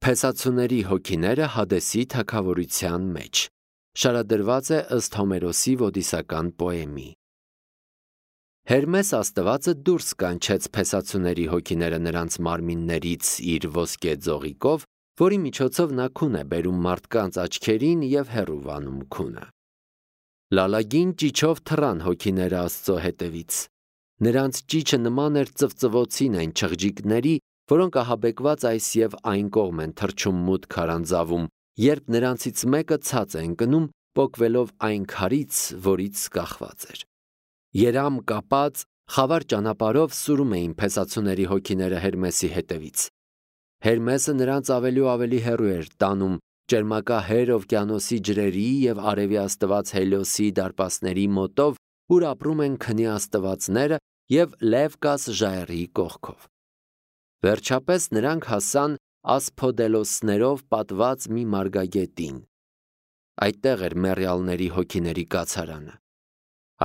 Փեսացուների հոգիները Հադեսի թագավորության մեջ շարադրված է ըստ Հոմերոսի ոդիսական պոեմի։ Հերմես աստվածը դուրս կանչեց փեսացուների հոգիները նրանց մարմիններից իր ոսկե ձողիկով, որի միջոցով նա քուն է բերում մարդկանց աչքերին և հեռու վանում քունը։ Լալագին ճիչով թռան հոգիները Աստծո հետևից։ Նրանց ճիչը նման էր ծվծվոցին այն չղջիկների, որոնք ահաբեկված այս և այն կողմ են թռչում մութ քարանձավում, երբ նրանցից մեկը ցած է ընկնում, պոկվելով այն քարից, որից կախված էր։ Երամ կապած, խավար ճանապարհով սուրում էին փեսացուների հոգիները Հերմեսի հետևից։ Հերմեսը նրանց ավելի ու ավելի հեռու էր տանում ճերմակահեր օվկիանոսի ջրերի և արևի աստված Հելիոսի դարպասների մոտով, ուր ապրում են քնի աստվածները և Լևկաս ժայռի կողքով։ Վերջապես նրանք հասան ասփոդելոսներով պատված մի մարգագետին։ Այդտեղ էր մեռյալների հոգիների կացարանը։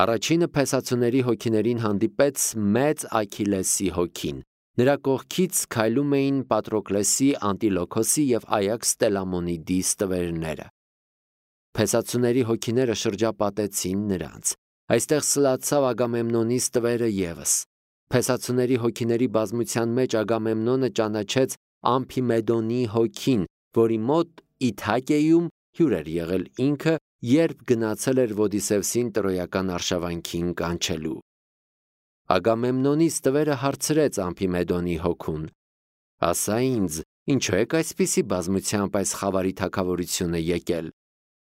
Առաջինը փեսացուների հոգիներին հանդիպեց մեծ Աքիլեսի հոգին։ Նրա կողքից քայլում էին Պատրոկլեսի, Անտիլոքոսի և Այաքս Տելամոնիդի ստվերները։ Փեսացուների հոգիները շրջապատեցին նրանց։ Այստեղ սլացավ Ագամեմնոնի ստվերը ևս։ Փեսացուների հոգիների բազմության մեջ Ագամեմնոնը ճանաչեց Ամփիմեդոնի հոգին, որի մոտ Իթակեում հյուր էր եղել ինքը, երբ գնացել էր Ոդիսևսին տրոյական արշավանքին կանչելու։ Ագամեմնոնի ստվերը հարցրեց Ամփիմեդոնի հոգուն. «Ասա ինձ, ինչու եք այսպիսի բազմությամբ այս խավարի թագավորությունը եկել։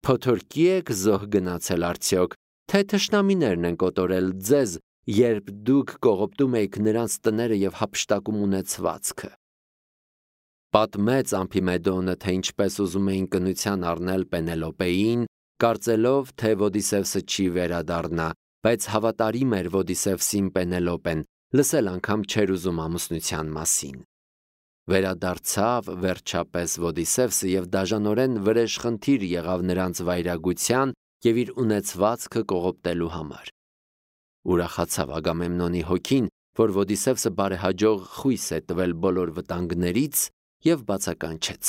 Փոթորկի եք զոհ գնացել արդյոք, թե թշնամիներն են կոտորել ձեզ, երբ դուք կողոպտում էիք նրանց տները և հափշտակում ունեցվածքը»։ Պատմեց Ամփիմեդոնը, թե ինչպես ուզում էին կնության առնել Պենելոպեին, կարծելով, թե Ոդիսևսը չի վերադառնա, բայց հավատարիմ էր Ոդիսևսին Պենելոպեն, լսել անգամ չէր ուզում ամուսնության մասին։ Վերադարձավ վերջապես Ոդիսևսը և դաժանորեն վրեժխնդիր եղավ նրանց վայրագության և իր ունեցվածքը կողոպտելու համար։ Ուրախացավ Ագամեմնոնի հոգին, որ Ոդիսևսը բարեհաջող խույս է տվել բոլոր վտանգներից և բացականչեց.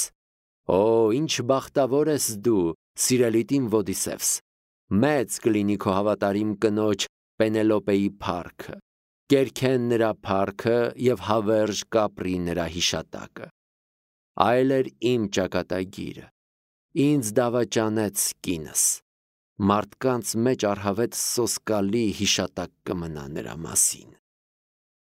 «Օ, ինչ բախտավոր ես դու, սիրելիդ իմ Ոդիսևս, մեծ կլինի քո հավատարիմ կնոջ Պենելոպեի փառքը, կերքեն նրա փառքը և հավերժ կապրի նրա հիշատակը։ Այլ էր իմ ճակատագիրը, ինձ դավաճանեց կինս, մարդկանց մեջ առհավետ սոսկալի հիշատակ կմնա նրա մասին»։